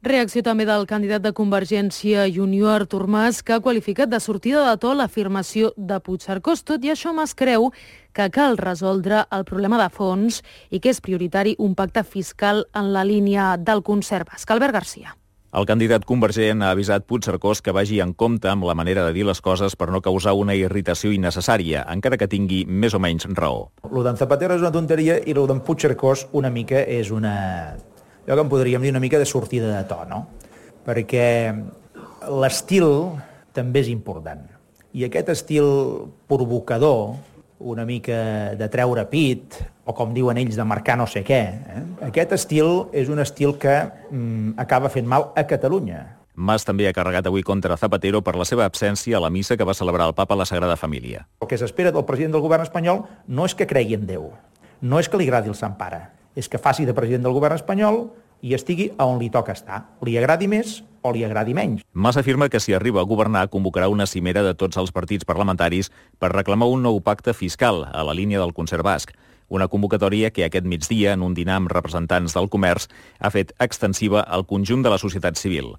Reacció també del candidat de Convergència i Unió, Artur Mas, que ha qualificat de sortida de to l'afirmació de Puigcercós. Tot i això, Mas creu que cal resoldre el problema de fons i que és prioritari un pacte fiscal en la línia del concert basc. Albert Garcia. El candidat convergent ha avisat Puigcercós que vagi en compte amb la manera de dir les coses per no causar una irritació innecessària, encara que tingui més o menys raó. Lo d'en Zapatero és una tonteria i lo d'en Puigcercós una mica és una... allò que en podríem dir una mica de sortida de to, no? Perquè l'estil també és important. I aquest estil provocador, una mica de treure pit, o com diuen ells, de marcar no sé què, aquest estil és un estil que acaba fent mal a Catalunya. Mas també ha carregat avui contra Zapatero per la seva absència a la missa que va celebrar el papa a la Sagrada Família. El que s'espera del president del govern espanyol no és que cregui en Déu, no és que li agradi el Sant Pare, és que faci de president del govern espanyol i estigui on li toca estar. Li agradi més o li agradi menys. Mas afirma que si arriba a governar convocarà una cimera de tots els partits parlamentaris per reclamar un nou pacte fiscal a la línia del concert basc. Una convocatòria que aquest migdia, en un dinar amb representants del comerç, ha fet extensiva al conjunt de la societat civil.